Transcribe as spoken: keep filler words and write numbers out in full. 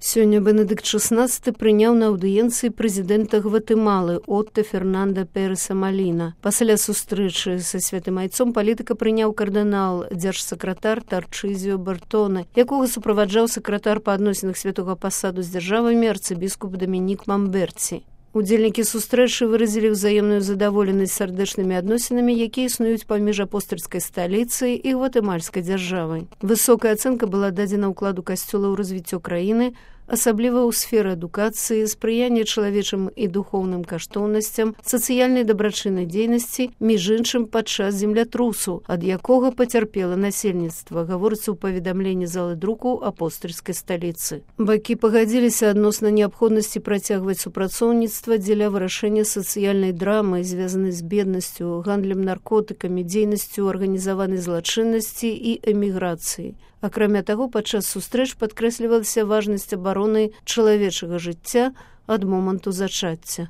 Сёння Бенедыкт шестнадцаты прыняў на аўдыенцыі прэзідэнта Гватэмалы Отто Фернанда Переса Маліна. Пасля сустрэчы са святым айцом палітыка прыняў кардынал, дзяржсакратар Тарчызіо Бартоне, якога суправаджаў сакратар па адносінах святога пасаду з дзяржавамі арцыбіскуп Дамінік Мамберці. Удзельнікі сустрэчы выразілі ўзаемную задаволенасць сардэчнымі адносінамі, якія існуюць паміж апостальскай сталіцай і гватэмальскай дзяржавай. Высокая ацэнка была дадзена ўкладу касцёла ў развіццё краіны, асабліва ў сферы адукацыі, спрыяння чалавечым і духоўным каштоўнасцям, сацыяльнай дабрачыннай дзейнасці, між іншым падчас землятрусу, ад якога пацярпела насельніцтва, гаворыцца ў паведамленні залы друку апостальскай сталіцы. Бакі пагадзіліся адносна неабходнасці працягваць супрацоўніцтва дзеля вырашэння сацыяльнай драмы, звязанай з беднасцю, гандлем наркотыкамі, дзейнасцю арганізаванай злачыннасці і эміграцыі. Акрамя таго, падчас сустрэч падкрэслівалася важнасць абароны чалавечага жыцця ад моманту зачацця.